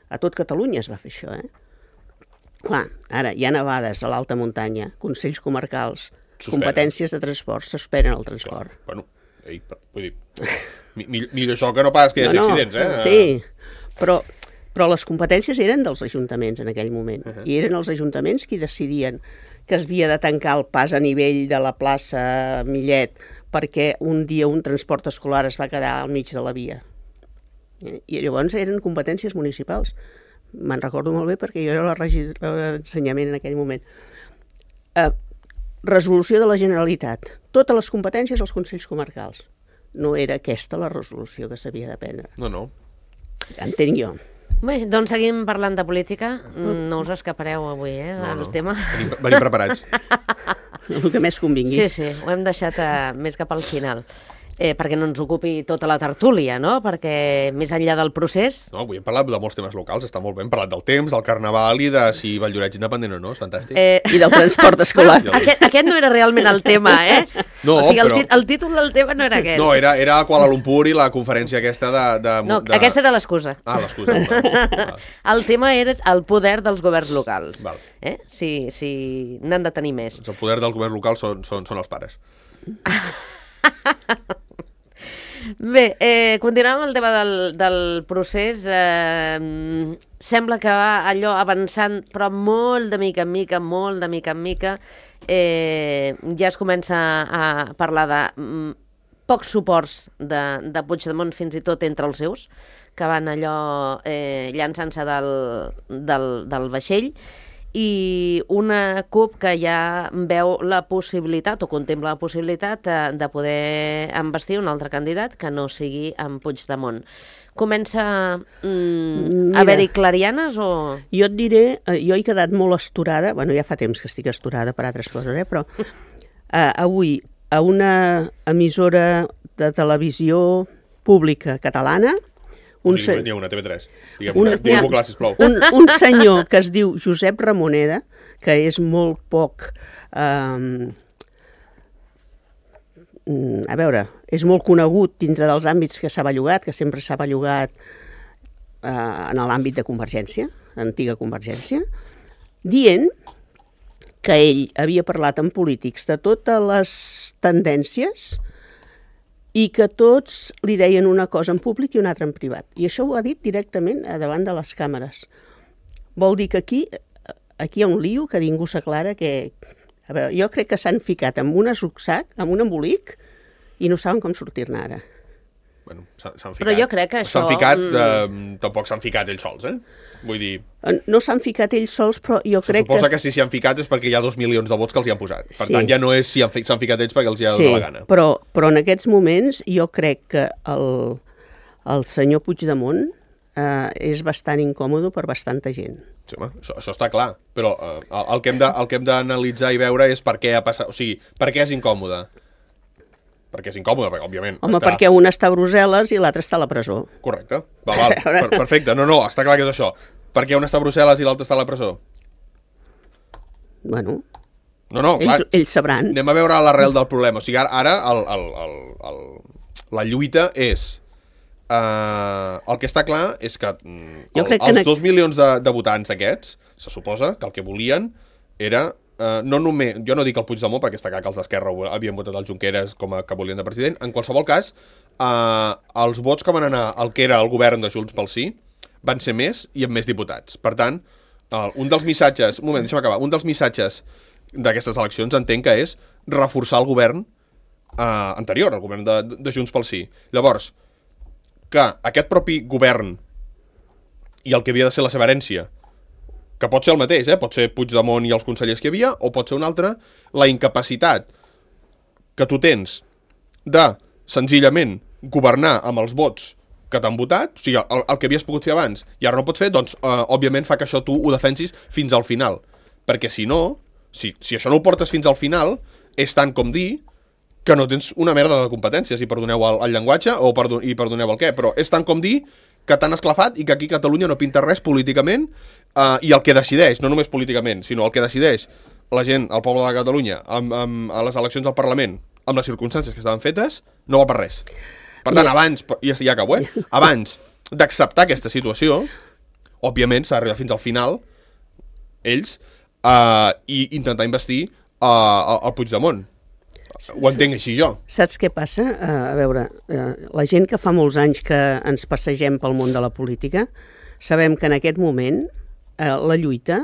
A tot Catalunya es va fer això, eh? Clar, ara hi ha nevades a l'alta muntanya, Consells Comarcals, Suspenen. competències de transport, suspenen el transport. Clar, bueno, ei, per- vull dir, mi- mi- millor això que no pas que hi hagi accidents, eh? Sí, però, però les competències eren dels ajuntaments en aquell moment, Uh-huh. i eren els ajuntaments qui decidien que es havia de tancar el pas a nivell de la plaça Millet perquè un dia un transport escolar es va quedar al mig de la via. Eh? I llavors eren competències municipals. Me'n recordo molt bé perquè jo era la regidora d'ensenyament en aquell moment. Eh, resolució de la Generalitat. Totes les competències als consells comarcals. No era aquesta la resolució que s'havia de prendre. No, no. Entenc jo. Bé, doncs seguim parlant de política. No us escapareu avui, eh, del no, no. tema. Venim, venim preparats. El que més convingui. Sí, sí, ho hem deixat a, més cap al final. Eh, perquè no ens ocupi tota la tertúlia, no? Perquè més enllà del procés... No, avui hem parlat de molts temes locals, està molt bé. Hem parlat del temps, del carnaval i de si Valldoreix independent o no, és fantàstic. Eh, I del transport escolar. bueno, aquest, aquest no era realment el tema, eh? No, o sigui, el, però- tit el títol del tema no era aquest. No, era, era a Kuala Lumpur i la conferència aquesta de... de, No, de... aquesta era l'excusa. Ah, l'excusa. Val. Val. El tema era el poder dels governs locals. Val. Eh? Si, si n'han de tenir més. Doncs el poder del govern local són, són, són els pares. Bé, eh, continuem amb el tema del, del procés. Eh, sembla que va allò avançant, però molt de mica en mica, molt de mica en mica. Eh, ja es comença a parlar de mm, pocs suports de, de Puigdemont, fins i tot entre els seus, que van allò eh, llançant-se del, del, del vaixell, i una CUP que ja veu la possibilitat, o contempla la possibilitat, de, de poder embestir un altre candidat que no sigui en Puigdemont. Comença mm, Mira. a haver-hi clarianes o...? Jo et diré, eh, jo he quedat molt astorada, bueno, ja fa temps que estic astorada per altres coses, eh, però eh, avui a una emissora de televisió pública catalana, un, Un se N'hi ha una, T V tres. Diguem-ho Una- diguem clar, sisplau. un, un senyor que es diu Josep Ramoneda, que és molt poc... Eh, a veure, és molt conegut dintre dels àmbits que s'ha bellugat, que sempre s'ha bellugat eh, en l'àmbit de Convergència, antiga Convergència, dient que ell havia parlat amb polítics de totes les tendències i que tots li deien una cosa en públic i una altra en privat. I això ho ha dit directament a davant de les càmeres. Vol dir que aquí, aquí hi ha un lío que ningú s'aclara que... A veure, jo crec que s'han ficat amb un rucsac, amb un embolic, i no saben com sortir-ne ara. Bueno, s'han ficat. Però jo crec que això, S'han ficat, mm, eh, tampoc s'han ficat ells sols, eh? Vull dir, No s'han ficat ells sols, però jo se crec suposa que... que si s'hi han ficat és perquè hi ha dos milions de vots que els hi han posat. Per Sí. tant, ja no és si han fi- s'han ficat ells perquè els hi ha Sí, donat la gana. però, però en aquests moments jo crec que el, el senyor Puigdemont eh, és bastant incòmode per bastanta gent. Sí, home, això, això està clar, però eh, el, el que hem de, el que hem d'analitzar i veure és per què ha passat, o sigui, per què és incòmode? Perquè és incòmode, perquè, òbviament. Home, està... perquè un està a Brussel·les i l'altre està a la presó. Correcte, val, val. Per, perfecte, no, no, està clar que és això. Per què un està a Brussel·les i l'altre està a la presó? Bueno, No, no, clar, ells, ells sabran. anem a veure l'arrel del problema. O sigui, ara, ara el, el, el, el, la lluita és Uh, el que està clar és que, Jo el, crec que els en... dos milions de, de votants aquests, se suposa que el que volien era, uh, no només, jo no dic el Puigdemont, perquè està clar que els d'Esquerra havien votat el Junqueras com a que volien de president, en qualsevol cas, uh, els vots que van anar al que era el govern de Junts pel Sí van ser més i amb més diputats. Per tant, uh, un dels missatges, un moment, deixa'm acabar, un dels missatges d'aquestes eleccions entenc que és reforçar el govern uh, anterior, el govern de, de Junts pel Sí. Llavors, que aquest propi govern i el que havia de ser la seva herència, que pot ser el mateix, eh? Pot ser Puigdemont i els consellers que hi havia, o pot ser un altre, la incapacitat que tu tens de, senzillament, governar amb els vots que t'han votat, o sigui, el, el que havies pogut fer abans, i ara no pots fer, doncs, eh, òbviament fa que això tu ho defensis fins al final. Perquè si no, si, si això no ho portes fins al final, és tant com dir que no tens una merda de competències, i perdoneu el, el llenguatge, o perdon, i perdoneu el què, però és tant com dir que t'han esclafat i que aquí a Catalunya no pinta res políticament, eh, i el que decideix, no només políticament, sinó el que decideix la gent, el poble de Catalunya, amb, amb, a les eleccions del Parlament, amb les circumstàncies que estaven fetes, no va per res. Per tant, abans, ja, ja acabo, eh? Abans d'acceptar aquesta situació, òbviament s'ha d'arribar fins al final, ells, eh, i intentar investir eh, el Puigdemont. Ho entenc així jo. Saps què passa? Uh, a veure, uh, la gent que fa molts anys que ens passegem pel món de la política, sabem que en aquest moment uh, la lluita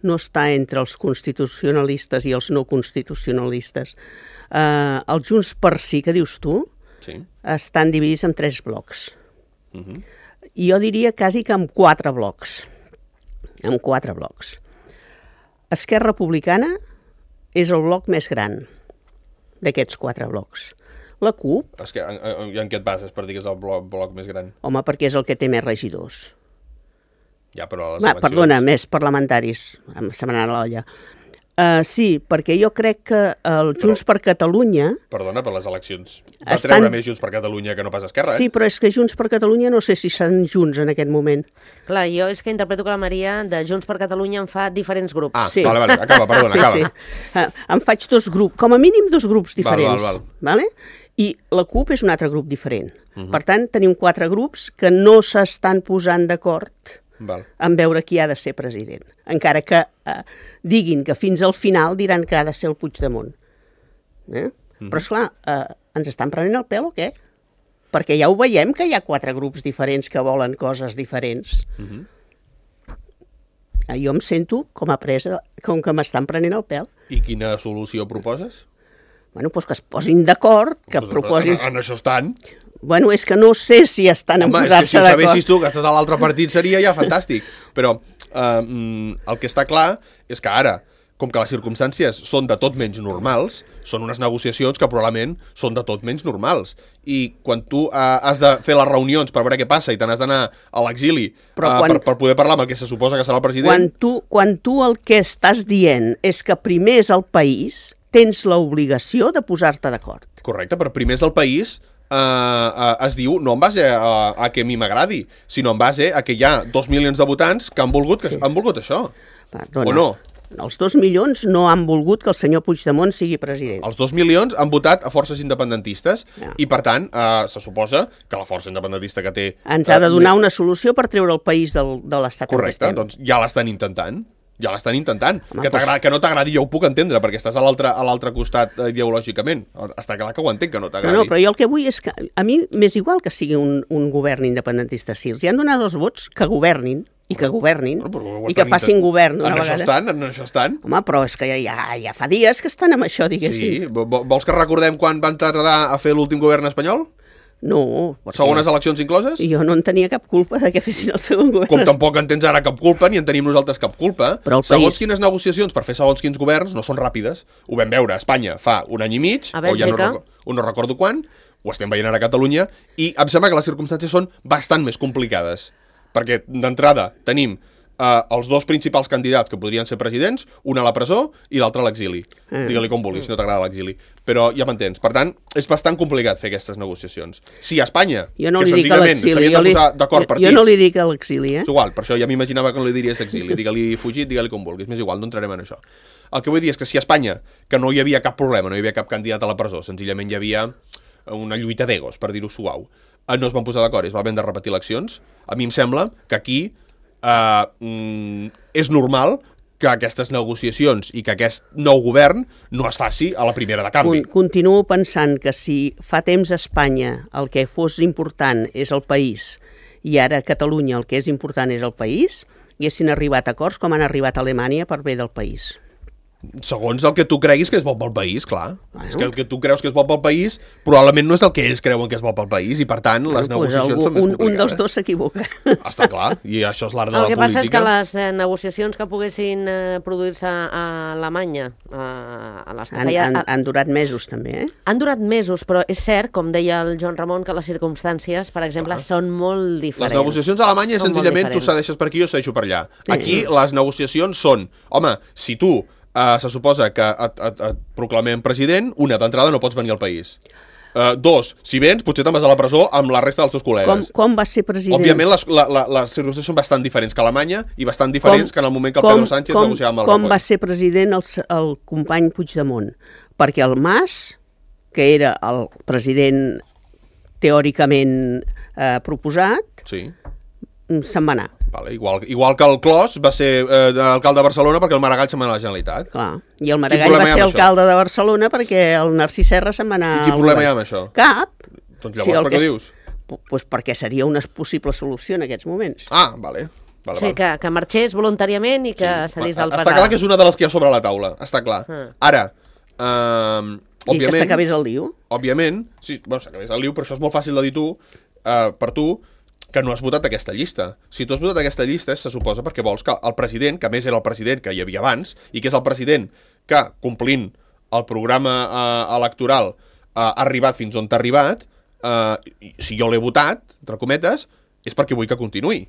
no està entre els constitucionalistes i els no constitucionalistes. Uh, els Junts per Sí, que dius tu, sí. estan dividits en tres blocs. Uh -huh. I jo diria quasi que en quatre blocs. En quatre blocs. Esquerra Republicana és el bloc més gran d'aquests quatre blocs. La CUP... És que, en, en, en què et bases per dir que és el bloc, bloc més gran? Home, perquè és el que té més regidors. Ja, però a les Va, eleccions... perdona, més parlamentaris. Se m'ha anat a l'olla. Uh, sí, perquè jo crec que el Junts però, per Catalunya... Perdona, per les eleccions va estan... treure més Junts per Catalunya que no pas Esquerra, eh? Sí, però és que Junts per Catalunya no sé si són junts en aquest moment. Clar, jo és que interpreto que la Maria de Junts per Catalunya en fa diferents grups. Ah, Sí. vale, vale, acaba, perdona, sí, acaba. Sí. Uh, em faig dos grups, com a mínim dos grups diferents. Val, val, val. Vale? I la CUP és un altre grup diferent. Uh -huh. Per tant, tenim quatre grups que no s'estan posant d'acord Val. en veure qui ha de ser president. Encara que eh, diguin que fins al final diran que ha de ser el Puigdemont. Eh? Mm. Però, esclar, eh, ens estan prenent el pèl o què? Perquè ja ho veiem que hi ha quatre grups diferents que volen coses diferents. Mm -hmm. eh, jo em sento com a presa, com que m'estan prenent el pèl. I quina solució proposes? Bueno, doncs que es posin d'acord, que Pues, proposin... En, en això estan. Bueno, és que no sé si estan en Home, és que si posar-se ho d'acord. sabessis tu, que estàs a l'altre partit, seria ja fantàstic. Però eh, el que està clar és que ara, com que les circumstàncies són de tot menys normals, són unes negociacions que probablement són de tot menys normals. I quan tu eh, has de fer les reunions per veure què passa i te n'has d'anar a l'exili eh, quan... per, per poder parlar amb el que se suposa que serà el president... Quan tu, quan tu el que estàs dient és que primer és el país, tens l'obligació de posar-te d'acord. Correcte, però primer és el país... Uh, uh, es diu no en base a, a que a mi m'agradi, sinó en base a que hi ha dos milions de votants que han volgut, que sí. han volgut això. Perdona. O no? Els dos milions no han volgut que el senyor Puigdemont sigui president. Els dos milions han votat a forces independentistes ja. i, per tant, uh, se suposa que la força independentista que té... Ens ha de donar una solució per treure el país del, de l'estat en què Correcte, estem. doncs ja l'estan intentant. Ja l'estan intentant. Home, que, doncs... que no t'agradi jo ho puc entendre, perquè estàs a l'altre a l'altre costat uh, ideològicament. Està clar que ho entenc, que no t'agradi. No, no, però jo el que vull és que a mi m'és igual que sigui un, un govern independentista. Si els hi han donat els vots, que governin, i que governin, no, i que facin govern una en vegada. Això estan, en això estan. Home, però és que ja, ja, ja fa dies que estan amb això, diguéssim. Sí, vols que recordem quan van tardar a fer l'últim govern espanyol? No. Perquè... Segones eleccions incloses? Jo no en tenia cap culpa de que fessin el segon govern. Com tampoc en tens ara cap culpa, ni en tenim nosaltres cap culpa. Però el Segons país... quines negociacions per fer segons quins governs no són ràpides. Ho vam veure a Espanya fa un any i mig, a o ja no, Bèlgica. recordo, o no recordo quan, ho estem veient ara a Catalunya, i em sembla que les circumstàncies són bastant més complicades. Perquè, d'entrada, tenim Uh, els dos principals candidats que podrien ser presidents, un a la presó i l'altre a l'exili. Mm. Digue-li com vulguis, si no t'agrada l'exili. Però ja m'entens. Per tant, és bastant complicat fer aquestes negociacions. Si a Espanya, jo no que li dic a senzillament l'exili, s'havien de posar d'acord partits... Jo no li dic a l'exili, eh? És igual, per això ja m'imaginava que no li diries exili. Digue-li fugit, digue-li com vulguis. M'és igual, no entrarem en això. El que vull dir és que si a Espanya, que no hi havia cap problema, no hi havia cap candidat a la presó, senzillament hi havia una lluita d'egos, per dir-ho suau, eh, no es van posar d'acord i es va haver de repetir eleccions, a mi em sembla que aquí eh, mm, és normal que aquestes negociacions i que aquest nou govern no es faci a la primera de canvi. Continuo pensant que si fa temps a Espanya el que fos important és el país i ara a Catalunya el que és important és el país, haguessin arribat a acords com han arribat a Alemanya per bé del país. Segons el que tu creguis que és bo pel país, clar. Bueno. És que el que tu creus que és bo pel país probablement no és el que ells creuen que és bo pel país i, per tant, les Bueno, pues negociacions algú, són més un, complicades. un dels dos s'equivoca. Està clar, i això és l'art de El la que passa és que política. les eh, negociacions que poguessin eh, produir-se a Alemanya, a, a les que Han, feia... han, a- han durat mesos, també, eh? Han durat mesos, però és cert, com deia el Joan Ramon, que les circumstàncies, per exemple, són molt diferents. Les negociacions a Alemanya, Són molt senzillament, tu diferents. cedeixes per aquí o cedeixo per allà. Sí. Aquí, les negociacions són, home, si tu eh, se suposa que et, et, et proclamem president, una, d'entrada no pots venir al país. Uh, dos, si vens, potser te'n vas a la presó amb la resta dels teus Com, col·legues. com va ser president? Òbviament, les, la, la, les circumstàncies són bastant diferents que a Alemanya i bastant diferents que en el moment que el com, Pedro Sánchez com, negociava amb el Com Rajoy. va ser president el, s- el company Puigdemont? Perquè el Mas, que era el president teòricament eh, proposat, Sí. mm, se'n va anar. Vale, igual, igual que el Clos va ser eh, alcalde de Barcelona perquè el Maragall se'n va anar a la Generalitat. Clar. I el Quin Maragall problema va hi ha ser amb això? alcalde de Barcelona perquè el Narcís Serra se'n va anar... I quin al problema hi ha govern. amb això? Cap. Doncs llavors el per què que ho és- dius? Pu- Pues perquè seria una possible solució en aquests moments. Ah, vale. vale, O sigui, vale. que, que marxés voluntàriament i que Sí. cedís Va, el Està clar que és una de les que hi ha sobre la taula, està clar. Ah. Ara, eh, I que òbviament, s'acabés el lío. òbviament, sí, bueno, s'acabés el liu, però això és molt fàcil de dir tu, eh, per tu, que no has votat aquesta llista. Si tu has votat aquesta llista, se suposa perquè vols que el president, que a més era el president que hi havia abans, i que és el president que, complint el programa eh, electoral, eh, ha arribat fins on t'ha arribat, eh, i si jo l'he votat, entre cometes, és perquè vull que continuï.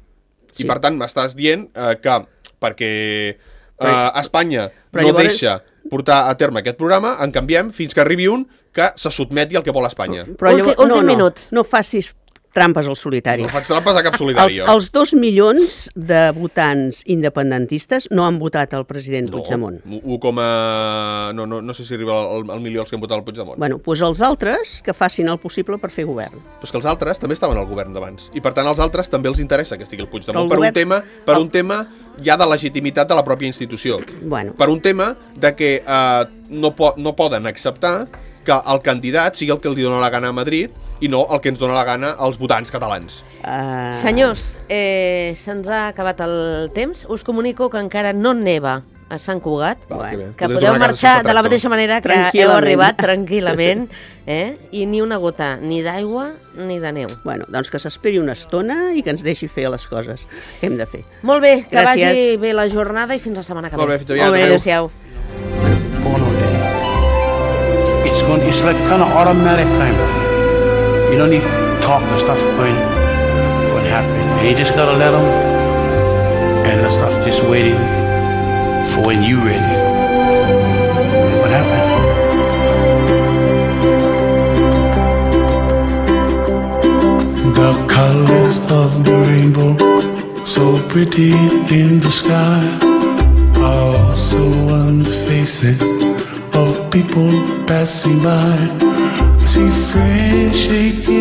Sí. I per tant m'estàs dient eh, que perquè eh, Però- Espanya però no llavors- deixa portar a terme aquest programa, en canviem fins que arribi un que se sotmeti al que vol Espanya. Però Ulti- llavors, últim no, no, minut. no facis trampes al solitari. No faig trampes a cap Els, solidari. jo. els dos milions de votants independentistes no han votat el president No, Puigdemont. un coma... No, no, no sé si arriba al, al milió els que han votat el Puigdemont. Bueno, doncs els altres que facin el possible per fer govern. Però és que els altres també estaven al govern d'abans. I per tant als altres també els interessa que estigui el Però Puigdemont el per, un govern- tema, per un tema ja de legitimitat de la pròpia institució. Bueno, Per un tema de que eh, no, po no poden acceptar que el candidat sigui el que li dona la gana a Madrid i no el que ens dona la gana als votants catalans. uh, Senyors, eh, se'ns ha acabat el temps. Us comunico que encara no neva a Sant Cugat, Val, que bé. que Podré podeu tornar a casa marxar sense de la tractor. mateixa manera que heu Tranquil·lament. arribat tranquil·lament, eh? I ni una gota, ni d'aigua ni de neu. bueno, doncs que s'esperi una estona i que ens deixi fer les coses que hem de fer. Molt bé, que Gràcies. vagi bé la jornada i fins la setmana que ve. Molt bé, fins aviat. Molt bé. Adéu. Adéu-siau. Born on it. It's going. It's like kind of automatic, kind of. You don't need to talk. The stuff going, going to happen, and you just gotta let them. And the stuff just waiting for when you ready. And what happened? The colors of the rainbow, so pretty in the sky, are also on the faces of people passing by. I see friends shaking